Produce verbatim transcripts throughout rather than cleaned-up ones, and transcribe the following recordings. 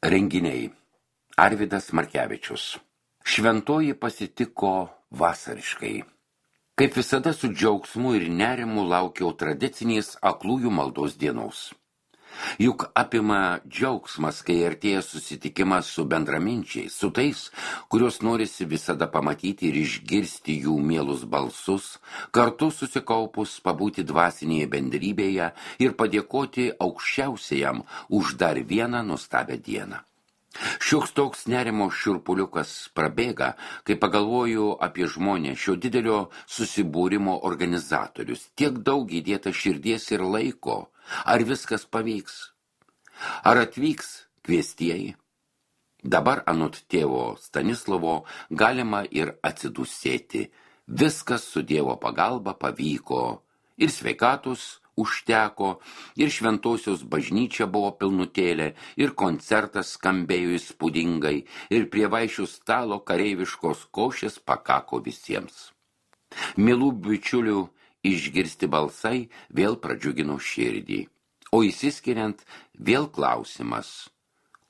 Renginiai. Arvydas Markevičius. Šventoji pasitiko vasariškai. Kaip visada su džiaugsmu ir nerimu laukiau tradicinės aklųjų maldos dienos. Juk apima džiaugsmas, kai artėja susitikimas su bendraminčiais, su tais, kuriuos norisi visada pamatyti ir išgirsti jų mielus balsus, kartu susikaupus pabūti dvasinėje bendrybėje ir padėkoti aukščiausiajam už dar vieną nuostabią dieną. Šioks toks nerimo šiurpuliukas prabėga, kai pagalvoju apie žmonę šio didelio susibūrimo organizatorius. Tiek daug įdėta širdies ir laiko. Ar viskas pavyks? Ar atvyks kviestieji? Dabar anot tėvo Stanislovo galima ir atsidusėti. Viskas su Dievo pagalba pavyko. Ir sveikatus užteko, ir šventosios bažnyčia buvo pilnutėlė, ir koncertas skambėjo įspūdingai, ir prie vaišių stalo kareiviškos košės pakako visiems. Mielų bičiulių išgirsti balsai vėl pradžiugino širdį. O įsiskiriant vėl klausimas,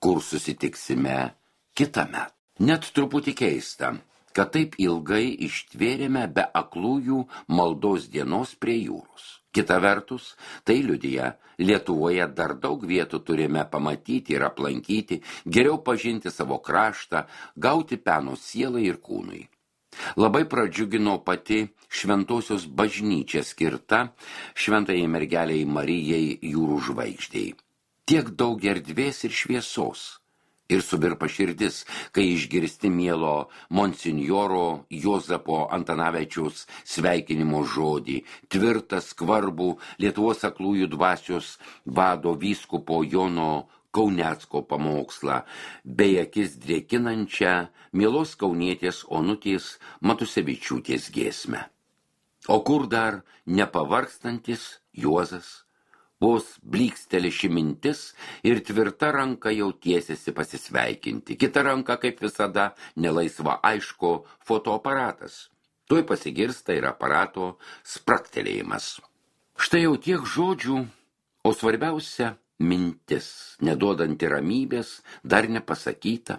kur susitiksime kitąmet. Net truputį keista, kad taip ilgai ištvėrėme be aklųjų maldos dienos prie jūros. Kita vertus, tai liudija, Lietuvoje dar daug vietų turime pamatyti ir aplankyti, geriau pažinti savo kraštą, gauti peno sielai ir kūnui. Labai pradžiugino pati šventosios bažnyčia skirta šventajai mergelei Marijai jūrų žvaigždei. Tiek daug erdvės ir šviesos. Ir suvirpa širdis, kai išgirsti mielo monsinjoro Jozapo Antanavičiaus sveikinimo žodį, tvirtą skvarbų Lietuvos aklųjų dvasios vado vyskupo Jono Kaunecko pamokslą, bei akis drėkinančią mielos kaunietės Onutės Matusevičiūtės giesmę. O kur dar nepavargstantis Juozas? Vos blyksteli ši mintis ir tvirta ranka jau tiesiasi pasisveikinti. Kita ranka, kaip visada, nelaisva aišku fotoaparatas. Tuoj pasigirsta ir aparato spraktelėjimas. Štai jau tiek žodžių, o svarbiausia mintis, neduodanti ramybės, dar nepasakyta.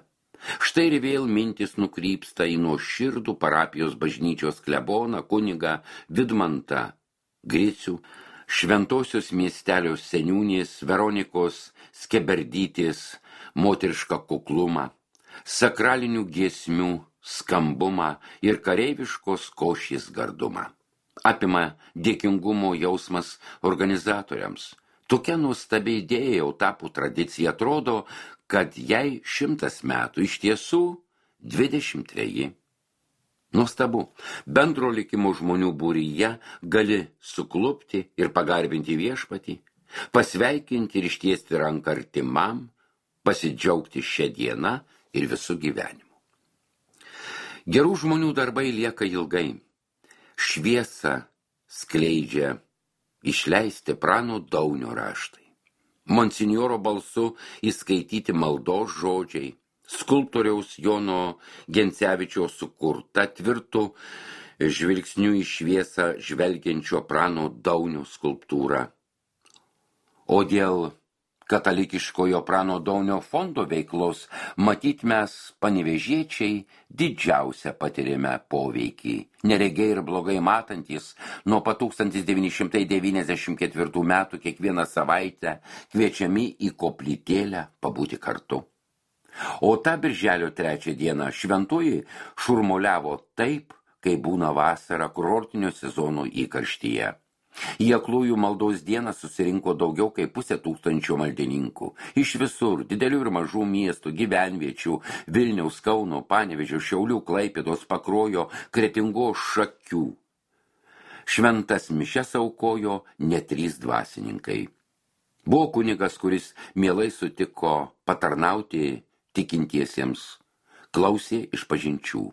Štai ir vėl mintis nukrypsta į nuoširdų parapijos bažnyčios kleboną kunigą Vidmantą Gricių, šventosios miestelio seniūnės Veronikos Skeberdytės moterišką kuklumą, sakralinių giesmių skambumą ir kareiviškos košės gardumą. Apima dėkingumo jausmas organizatoriams. Tokia nuostabi idėja jau tapo tradicija, atrodo, kad jai šimtas metų, iš tiesų dvidešimt treji. Nuostabu, bendro likimo žmonių būryje gali suklupti ir pagarbinti viešpatį, pasveikinti ir ištiesti ranką artimam, pasidžiaugti šią dieną ir visų gyvenimu. Gerų žmonių darbai lieka ilgai. Šviesą skleidžia išleisti Prano Daunio raštai. Monsinjoro balsu įskaityti maldos žodžiai, skulptoriaus Jono Gencevičiaus sukurta tvirtų žvilgsnių į šviesą žvelgiančio Prano Daunio skulptūra. O dėl katalikiškojo Prano Daunio fondo veiklos matyt mes panevėžiečiai didžiausią patirime poveikį. Neregiai ir blogai matantys nuo pat tūkstantis devyni šimtai devyniasdešimt ketvirtų metų kiekvieną savaitę kviečiami į koplytėlę pabūti kartu. O tą birželio trečią dieną šventoji šurmuliavo taip, kai būna vasara kurortinio sezono įkarštyje. Į aklųjų maldos dieną susirinko daugiau kaip pusė tūkstančio maldininkų. Iš visur, didelių ir mažų miestų, gyvenviečių, Vilniaus, Kauno, Panevėžio, Šiaulių, Klaipėdos, Pakruojo, Kretingos, Šakių. Šventas mišias aukojo net trys dvasininkai. Buvo kunigas, kuris mielai sutiko patarnauti tikintiesiems, klausė išpažinčių.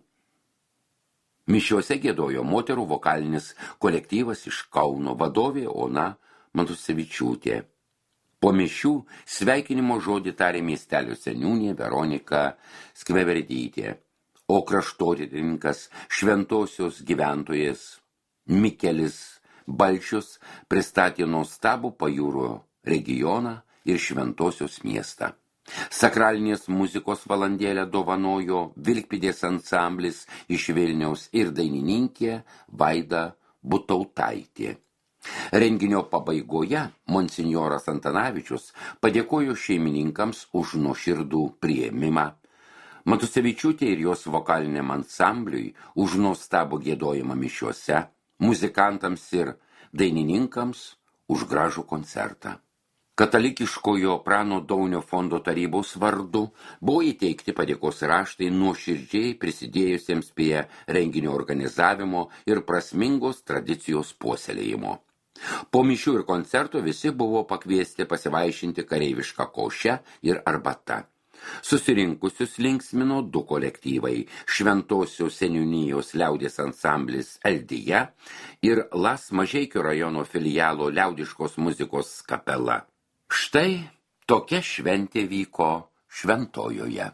Mišiuose giedojo moterų vokalinis kolektyvas iš Kauno, vadovė Ona Matusevičiūtė. Po mišių sveikinimo žodį tarė miestelio seniūnė Veronika Skveberdytė, o kraštotyrininkas šventosios gyventojas Mikelis Balčius pristatė nuostabų pajūrio regioną ir šventosios miestą. Sakralinės muzikos valandėlę dovanojo Vilkpėdės ansamblis iš Vilniaus ir dainininkė Vaida Butautaitė. Renginio pabaigoje monsinjoras Antanavičius padėkojo šeimininkams už nuoširdų priėmimą, Matusevičiūtė ir jos vokaliniam ansambliui už nuostabų giedojimą mišiuose, muzikantams ir dainininkams už gražų koncertą. Katalikiškojo Prano Daunio fondo tarybos vardu buvo įteikti padėkos raštai nuoširdžiai prisidėjusiems prie renginio organizavimo ir prasmingos tradicijos puoselėjimo. Po mišių ir koncerto visi buvo pakviesti pasivaišinti kareivišką košę ir arbatą. Susirinkusius linksmino du kolektyvai – Šventosios seniūnijos liaudės ansamblis Eldija ir Las Mažeikių rajono filialo liaudiškos muzikos kapela. Štai tokia šventė vyko Šventojoje.